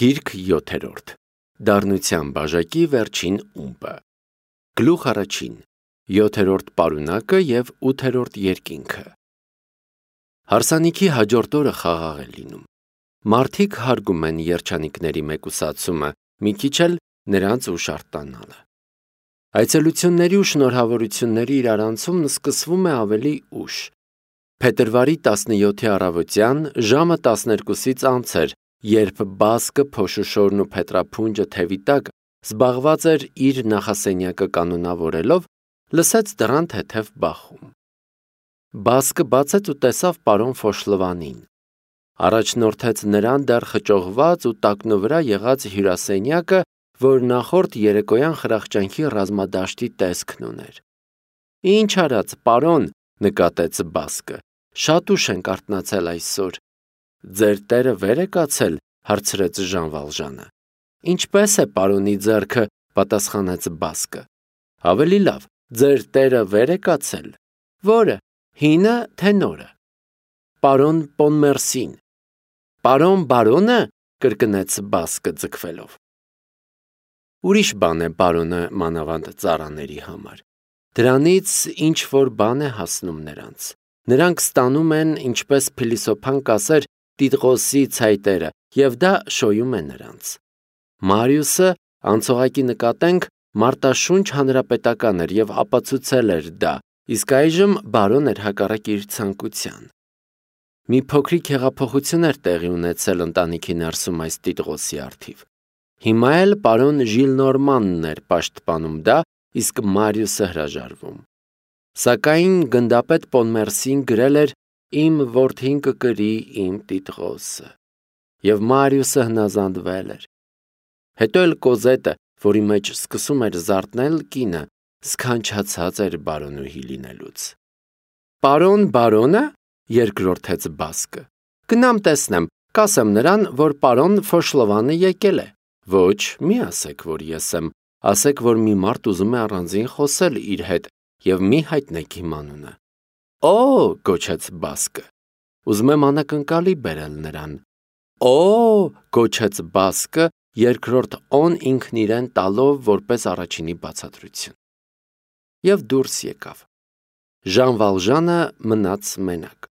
Գիրք 7-րդ Դառնության բաժակի վերջին ումպը Գլուխ առաջին 7-րդ պարունակը և 8-րդ երկինքը Հարսանիքի հաջորդ օրը խաղաղ է լինում։ Մարդիկ հարգում են երջանիկների մեկուսացումը, մի քիչ էլ նրանց ուշ արտանալը։ Այցելությունների ու շնորհավորությունների իրարանցումն սկսվում է ավելի ուշ։ Փետրվարի 17-ի առավոտյան ժամը 12-ից անց էր, երբ Բասկը փոշուշորն ու փետրափունջը թևի տակ զբաղված էր իր նախասենյակը կանոնավորելով, լսեց դռան թեթև բախում։ Բասկը բացեց ու տեսավ պարոն Ֆոշլվանին։ Առաջնորդեց նրան դեռ խճողված ու տակնու վրա եղած հյուրասենյակը, որ նախորդ երեկոյան խրախճանքի ռազմադաշտի տեսքն ուներ։ «Ինչ արած, պարոն», նկատեց Բասկը, «շատ ուշ ենք արթնացել այսօր»։ «Ձեր տերը վեր է կացել», հարցրեց Ժան Վալժանը։ «Ինչպես է պարոնի ձեռքը», պատասխանեց Բասկը։ «Ավելի լավ, ձեր տերը վեր է կացել»։ «Որը, հինը, թե նորը»։ «Պարոն Պոնմերսին»։ «Պարոն բարոնը», կրկնեց Բասկը ձգվելով։ Ուրիշ բան է բարոնը մանավանդ ծառաների համար։ Դրանից ինչ-որ բան է հասնում նրանց։ Նրանք ստանում են, ինչպես փիլիսոփան կասեր, Տիտղոսի ցայտերը, և դա շոյում է նրանց։ Մարիուսը, անցողակի նկատենք, Մարտաշունչ հանրապետական էր և ապացուցել էր դա, իսկ այժմ բարոն էր հակառակ իր ցանկության։ Մի փոքրիկ հեղափոխություն էր տեղի ունեցել ընտանիքի ներսում այս Տիտղոսի առթիվ։ Հիմա էլ պարոն Ժիլնորմանն էր պաշտպանում դա, իսկ Մարիուսը հրաժարվում։ Սակայն գնդապետ Պոնմերսին գրել էր «Իմ որդին կկրի իմ Տիտղոսը», և Մարիուսը հնազանդվել էր։ Հետո էլ Կոզետը, որի մեջ սկսում էր զարթնել կինը, սքանչացած էր բարոնուհի լինելուց։ «Պարոն բարոնը», երկրորդեց Բասկը, «գնամ տեսնեմ, կասեմ նրան, որ պարոն Ֆոշլովանը եկել է»։ «Ոչ, մի ասեք, որ ես եմ, ասեք, որ մի մարդ ուզում է առանձին խոսել իր հետ և մի հայտնեք իմ անունը»։ «Օ՜», գոչեց Բասկը, «ուզում եմ անակնկալի բերել նրան»։ «Օ՜», գոչեց Բասկը, երկրորդ «օն» ինքն իրեն տալով որպես առաջինի բացատրություն։ Եվ դուրս եկավ։ Ժան Վալժանը մնաց մենակ։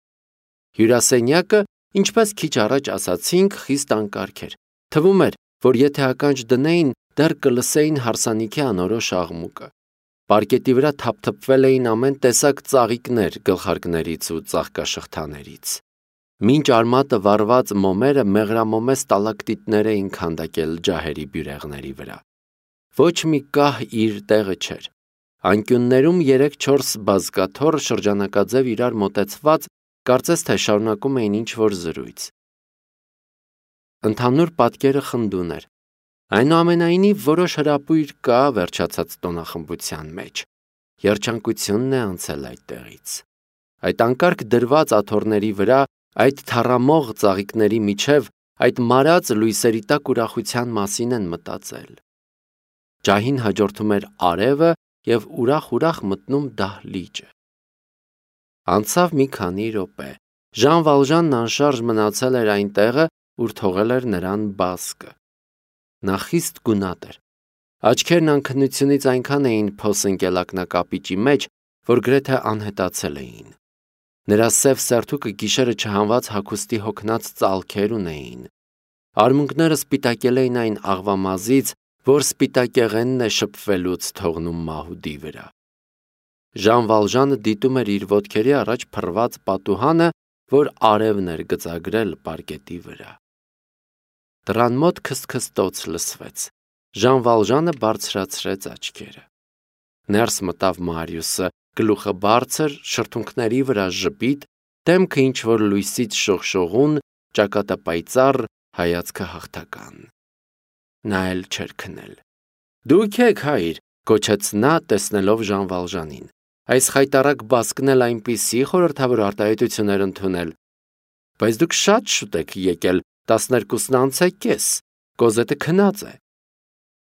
Հյուրասենյակը, ինչպես քիչ առաջ ասացինք, խիստ անկարգ էր։ Թվում էր, որ եթե ականջ դնեին, դեռ կլսեին հարսանիքի անորոշ աղմուկը։ Պարկետի վրա թափթփվել էին ամեն տեսակ ծաղիկներ գլխարկներից ու ծաղկաշղթաներից։ Մինչ արմատը վառված մոմերը մեղրամոմե ստալակտիտներ էին քանդակել ջահերի բյուրեղների վրա։ Ոչ մի կահ իր տեղը չէր։ Անկյուններում 3-4 բազկաթոռ շրջանակաձև իրար մոտեցված, կարծես թե շարունակում էին ինչ-որ զրույց։ Ընդհանուր պատկերը խնդուն էր։ Այնուամենայնիվ որոշ հրապույր կա վերջացած տոնախմբության մեջ։ Երջանկությունն է անցել այդտեղից։ Այդ անկարգ դրված աթոռների վրա, այդ թառամող ծաղիկների միջև, այդ մարած լույսերի տակ ուրախության մասին են մտածել։ Ջահին հաջորդում էր արևը և ուրախ-ուրախ մտնում դահլիճը։ Անցավ մի քանի րոպե։ Ժան Վալժանն անշարժ մնացել էր այն տեղը, ուր թողել էր նրան Բասկը։ Նա խիստ գունատ էր։ Աչքերն անքնությունից այնքան էին փոս ընկել ակնակապիճի մեջ, որ գրեթե անհետացել էին։ Նրա սև սերթուկը գիշերը չհանված հագուստի հոգնած ծալքեր ունեին։ Արմունկները սպիտակել էին այն աղվամազից, որ սպիտակեղենն է շփվելուց թողնում մահուդի վրա։ Ժան Վալժանը դիտում էր իր ոտքերի առաջ փռված պատուհանը, որ արևն էր գծագրել պարկետի վրա։ Դռան մոտ քսթքստոց լսվեց։ Ժան Վալժանը բարձրացրեց աչքերը։ Ներս մտավ Մարիուսը, գլուխը բարձր, շրթունքների վրա ժպիտ, դեմքը ինչ-որ լույսից շողշողուն, ճակատը պայծառ, հայացքը հաղթական։ Նա էլ չէր քնել։ «Դուք եք, հայր», գոչեց նա, տեսնելով Ժան Վալժանին։ «Այս խայտառակ Բասկն էլ այնպիսի խորհրդավոր արտահայտություն էր ընդունել։ Բայց դուք շատ շուտ եք եկել, 12:30, Կոզետը քնած է»։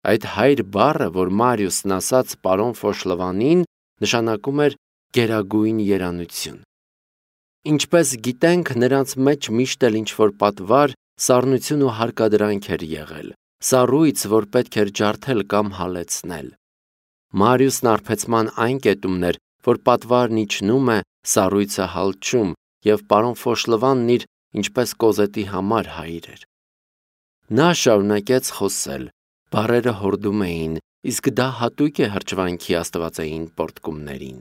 Այդ հայր բառը, որ Մարիուսն ասաց պարոն Ֆոշլվանին, նշանակում էր գերագույն երանություն։ Ինչպես գիտենք, նրանց մեջ միշտ էլ ինչ-որ պատվար սառնություն ու հարկադրանք էր եղել, սառույց, որ պետք էր ջարդել կամ հալեցնել։ Մարիուսն արբեցման այն կետումն էր, որ պատվարն իջնում է, սառույցը հալչում, եւ պարոն Ֆոշլվանն իր ինչպես Կոզետի համար հայր էր։ Նա շարունակեց խոսել, բառերը հորդում էին, իսկ դա հատուկ է հրճվանքի աստվածային պորտկումներին։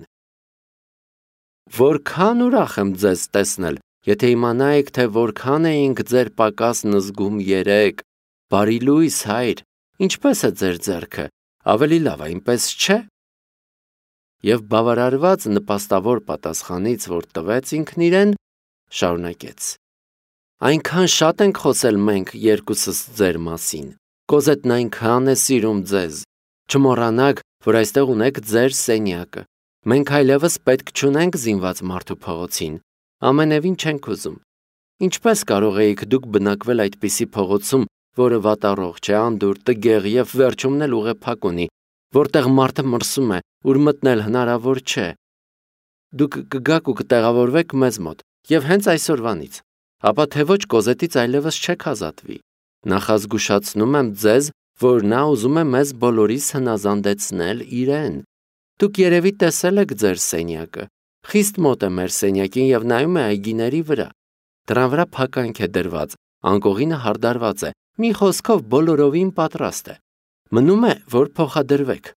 Որքան ուրախ եմ ձեզ տեսնել, եթե իմանայիք, թե որքան էինք ձեր պակասն զգում երեկ, բարի լույս հայր, ինչպես է ձեր ձեռքը, ավելի լավ, այնպես չէ։ Եվ բավարարված նպաստավոր պատասխանից, որ տվեց ինքն իրեն, շարունակեց. Այնքան շատ ենք խոսել մենք երկուսս ձեր մասին, Կոզետն այնքան է սիրում ձեզ, չմոռանաք, որ այստեղ ունեք ձեր սենյակը, մենք այլևս պետք չունենք զինված մարդու փողոցին, ամենևին չենք ուզում, ինչպես կարող էիք դուք բնակվել այդպիսի փողոցում, որը վատառողջ է, անդուր, տգեղ եւ վերջումն էլ ուղեփակ ունի, որտեղ մարդը մրսում է, ուր մտնել հնարավոր չէ։ Դուք կգաք ու կտեղավորվեք մեզ մոտ, եւ հենց այսօրվանից, ապա թե ոչ Կոզետից այլևս չեք ազատվի։ Նախազգուշացնում եմ ձեզ, որ նա ուզում է մեզ բոլորիս հնազանդեցնել իրեն։ Դուք երևի տեսել եք ձեր սենյակը, խիստ մոտ է մեր սենյակին եւ նայում է այգիների վրա։ Դրան վրա փականք է դրված, անկողինը հարդարված է, մի խոսքով բոլորովին պատրաստ է։ Մնում է, որ փոխադրվեք։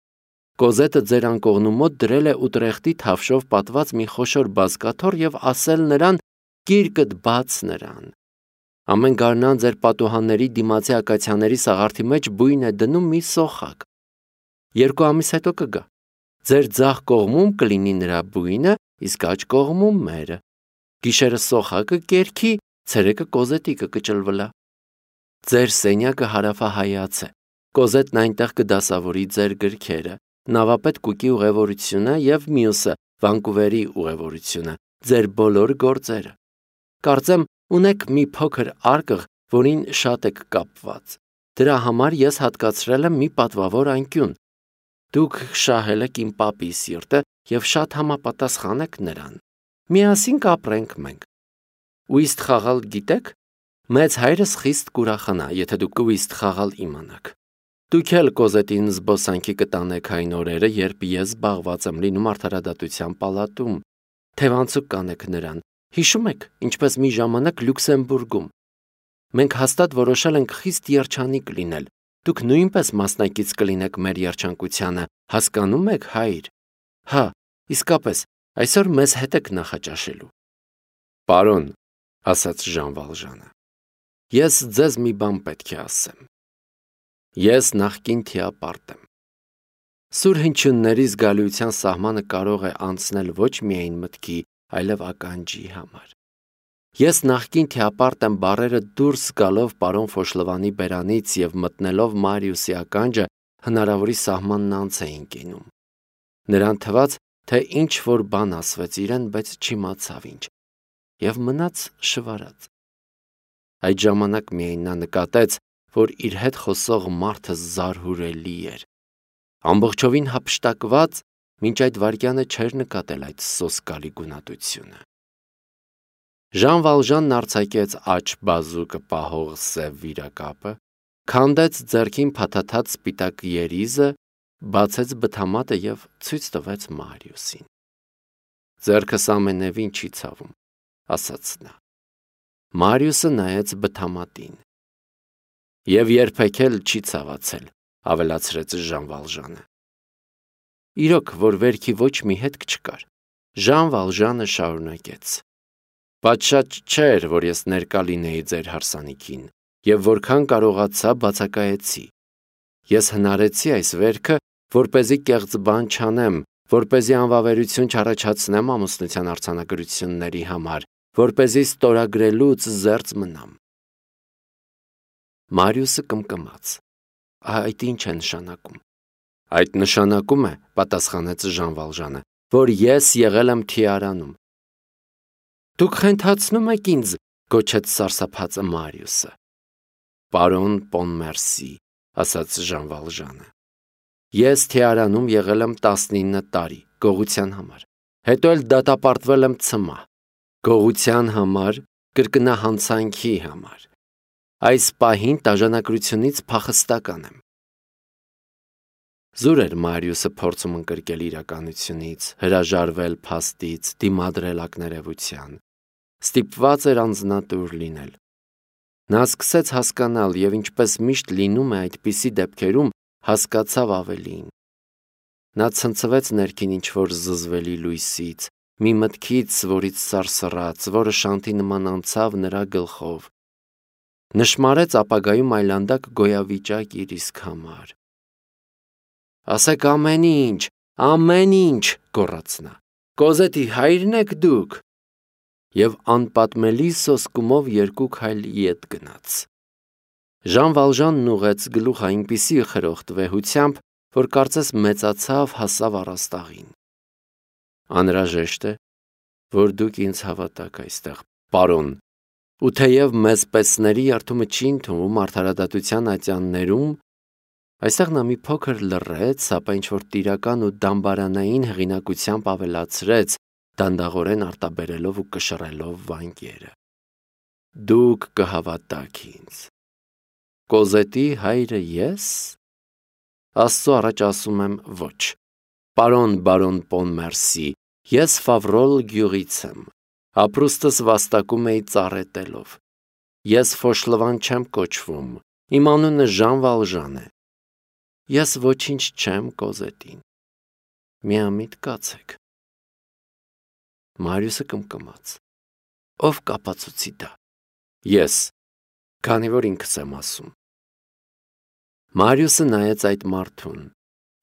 Կոզետը ձեր անկողնու մոտ դրել է Ուտրեխտի թավշով պատված մի խոշոր բազկաթոռ եւ ասել նրան. «Գիրկդ բաց նրան»։ Ամեն գարնան ձեր պատուհանների դիմացի ակացիաների սաղարթի մեջ բույն է դնում մի սոխակ։ 2 ամիս հետո կգա։ Ձեր ձախ կողմում կլինի նրա բույնը, իսկ աջ կողմում մերը։ Գիշերը սոխակը կերքի, ցերեկը Կոզետիկը կճլվլա։ Ձեր սենյակը հարավահայաց է։ Կոզետն այնտեղ կդասավորի ձեր գրքերը, նավապետ Կուկի ուղևորությունը եւ մյուսը Վանկուվերի ուղևորությունը, ձեր բոլոր գործերը։ Կարծեմ ունեք մի փոքր արկղ, որին շատ եք կապված։ Դրա համար ես հատկացրել եմ մի պատվավոր անկյուն։ Դուք շահել եք իմ պապի սիրտը եւ շատ համապատասխան եք նրան։ Միասին կապրենք մենք։ Ուիստ խաղալ գիտեք։ Մեծ հայրս խիստ կուրախանա, եթե դուք ուիստ խաղալ իմանաք։ Դուք էլ Կոզետին զբոսանքի կտանեք այն օրերը, երբ ես զբաղված եմ լինում արդարադատության պալատում։ Թևանցուկ կանեք նրան։ Հիշում եք, ինչպես մի ժամանակ Լյուքսեմբուրգում։ Մենք հաստատ որոշել ենք խիստ երջանիկ լինել։ Դուք նույնպես մասնակից կլինեք մեր երջանկությանը, հասկանում եք, հայր։ Հա, իսկապես, այսօր մեզ հետ եք նախաճաշելու։ Պարոն, ասաց Ժան Վալժանը, ես ձեզ մի բան պետք է ասեմ։ Ես նախկին թիապարտ եմ։ Սուր հնչյունների զգալիության սահմանը կարող է անցնել ոչ միայն մտքի, այլև ականջի համար։ Ես նախկին թիապարտ եմ բառերը դուրս գալով պարոն Ֆոշլվանի բերանից եւ մտնելով Մարիուսի ականջը հնարավորի սահմանն անց էին կենում։ Նրան թվաց, թե ինչ որ բան ասվեց իրեն, բայց չիմացավ ինչ, եւ մնաց շվարած։ Այդ ժամանակ միայն նա նկատեց, որ իր հետ խոսող մարդը զարհուրելի էր։ Ամբողջովին հափշտակված, մինչ այդ վայրկյանը չէր նկատել այդ սոսկալի գունատությունը։ Ժան Վալժանն արձակեց աջ բազուկը պահող սև վիրակապը, քանդեց ձեռքին փաթաթած սպիտակ երիզը, բացեց բթամատը եւ ցույց տվեց Մարիուսին։ Ձեռքս ամենևին չի ցավում, ասաց նա։ Մարիուսը նայեց բթամատին։ Եվ երբեք էլ չի ցավացել, ավելացրեց Ժան Վալժանը։ Իրոք, որ վերքի ոչ մի հետք չկար, Ժան Վալժանը շարունակեց. Պատշաճ չէր, որ ես ներկա լինեի ձեր հարսանիքին, եւ որքան կարողացա բացակայեցի։ Ես հնարեցի այս վերքը, որպեսզի կեղծ բան չանեմ, որպեսզի անվավերություն չառաջացնեմ ամուսնության արձանագրությունների համար, որպեսզի ստորագրելուց զերծ մնամ։ Մարիուսը կմկմաց։ Այդ ինչ է նշանակում։ Այդ նշանակում է, պատասխանեց Ժան Վալժանը, որ ես եղել եմ թիարանում։ Դուք խենթացնում եք ինձ, գոչեց սարսափած Մարիուսը։ Պարոն Պոնմերսի, ասաց Ժան Վալժանը։ Ես թիարանում եղել եմ 19 տարի, գողության համար։ Հետո էլ դատապարտվել եմ ցմահ, գողության համար, կրկնահանցանքի համար։ Այս պահին տաժանակրությունից փախստական եմ։ Զուր էր Մարիուսը փորձում ընկրկել իրականությունից, հրաժարվել փաստից, դիմադրել ակներևության։ Ստիպված էր անձնատուր լինել։ Նա սկսեց հասկանալ և ինչպես միշտ լինում է այդպիսի դեպքերում, հասկացավ ավելին։ Նա ցնցվեց ներքին ինչ-որ զզվելի լույսից, մի մտքից, որից սարսռաց, որը շանթի նման անցավ նրա գլխով։ Նշմարեց ապագայում այլանդակ գոյավիճակ իր իսկ համար։ «Ասեք ամեն ինչ», գոռաց նա։ «Կոզետի հայրն եք դուք»։ Եվ անպատմելի սոսկումով 2 քայլ ետ գնաց։ Ժան Վալժանն ուղղեց գլուխը այնպիսի խրոխտ վեհությամբ, որ կարծես մեծացավ, հասավ առաստաղին։ «Անհրաժեշտ է, որ դուք ինձ հավատաք այստեղ, պարոն, ու թեև մեզ պեցների երդումը չի ընդունվում արդարադատության ատյաններում», այստեղ նա մի փոքր լռեց, ապա ինչ-որ տիրական ու դամբարանային հեղինակությամբ ավելացրեց, դանդաղորեն արտաբերելով ու կշռելով վանկերը. «Դուք կհավատաք ինձ։ Կոզետի հայրը ես։ Աստծո առաջ ասում եմ ոչ։ Պարոն բարոն Պոնմերսի, ես Ֆավրոլ գյուղից եմ, ապրուստս վաստակում էի ծառետելով։ Ես Ֆոշլվան չեմ կոչվում, իմ անունը Ժան Վալժան է։ Ես ոչինչ չեմ Կոզետին։ Միամիտ կացեք»։ Մարիուսը կմկմաց։ «Ով կապացուցի դա»։ «Ես, քանի որ ինքս եմ ասում»։ Մարիուսը նայեց այդ մարդուն։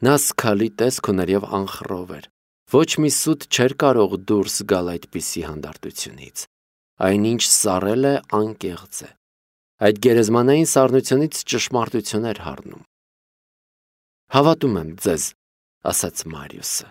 Նա սգալի տեսք ուներ և անխռով էր։ Ոչ մի սուտ չէր կարող դուրս գալ այդպիսի հանդարտությունից։ Այնինչ սառել է, անկեղծ է։ Այդ գերեզմանային սառնությունից ճշմարտություն էր հառնում։ «Հավատում եմ ձեզ», ասաց Մարիուսը։